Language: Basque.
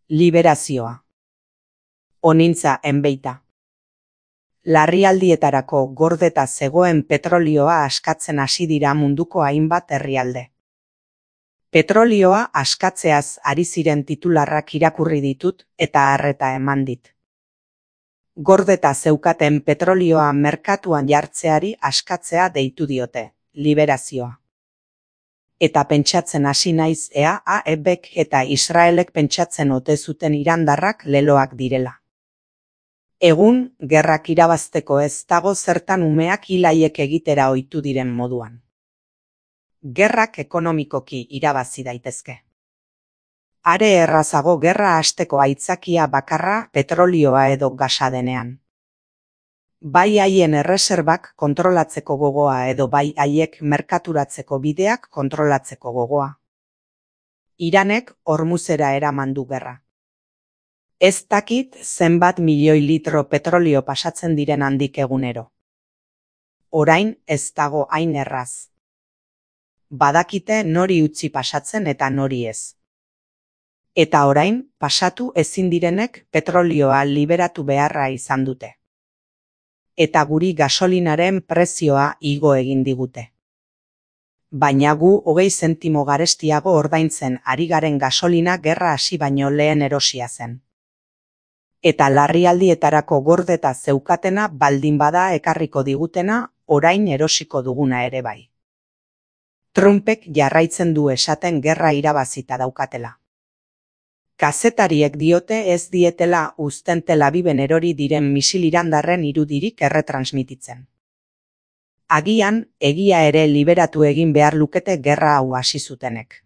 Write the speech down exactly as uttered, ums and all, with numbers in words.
Liberazioa. Onintza enbeita. Larrialdietarako gordeta zegoen petrolioa askatzen hasi dira munduko hainbat herrialde. Petrolioa askatzeaz ari ziren titularrak irakurri ditut eta harreta eman dit. Gordeta zeukaten petrolioa merkatuan jartzeari askatzea deitu diote, liberazioa. Eta pentsatzen hasi naiz ea A E Bk eta Israelek pentsatzen ote zuten irandarrak leloak direla. Egun, gerrak irabazteko ez dago zertan umeak hilaiek egitera ohitu diren moduan. Gerrak ekonomikoki irabazi daitezke. Are errazago gerra hasteko aitzakia bakarra petrolioa edo gasa denean. Bai haien erreserbak kontrolatzeko gogoa edo bai haiek merkaturatzeko bideak kontrolatzeko gogoa. Iranek Hormuzera eraman du gerra. Ez dakit zenbat milioi litro petrolio pasatzen diren handik egunero. Orain ez dago hain erraz. Badakite nori utzi pasatzen eta nori ez. Eta orain, pasatu ezin direnek petrolioa liberatu beharra izan dute. Eta guri gasolinaren prezioa igo egin digute. Baina gu hogei zentimo garestiago ordaintzen ari garen gasolina gerra hasi baino lehen erosia zen. Eta larrialdietarako gordeta zeukatena baldin bada ekarriko digutena orain erosiko duguna ere bai. Trumpek jarraitzen du esaten gerra irabazita daukatela. Kazetariek diote ez dietela uzten Tel Aviven erori diren misil irandarren irudirik erretransmititzen. Agian, egia ere liberatu egin behar lukete gerra hau hasi zutenek.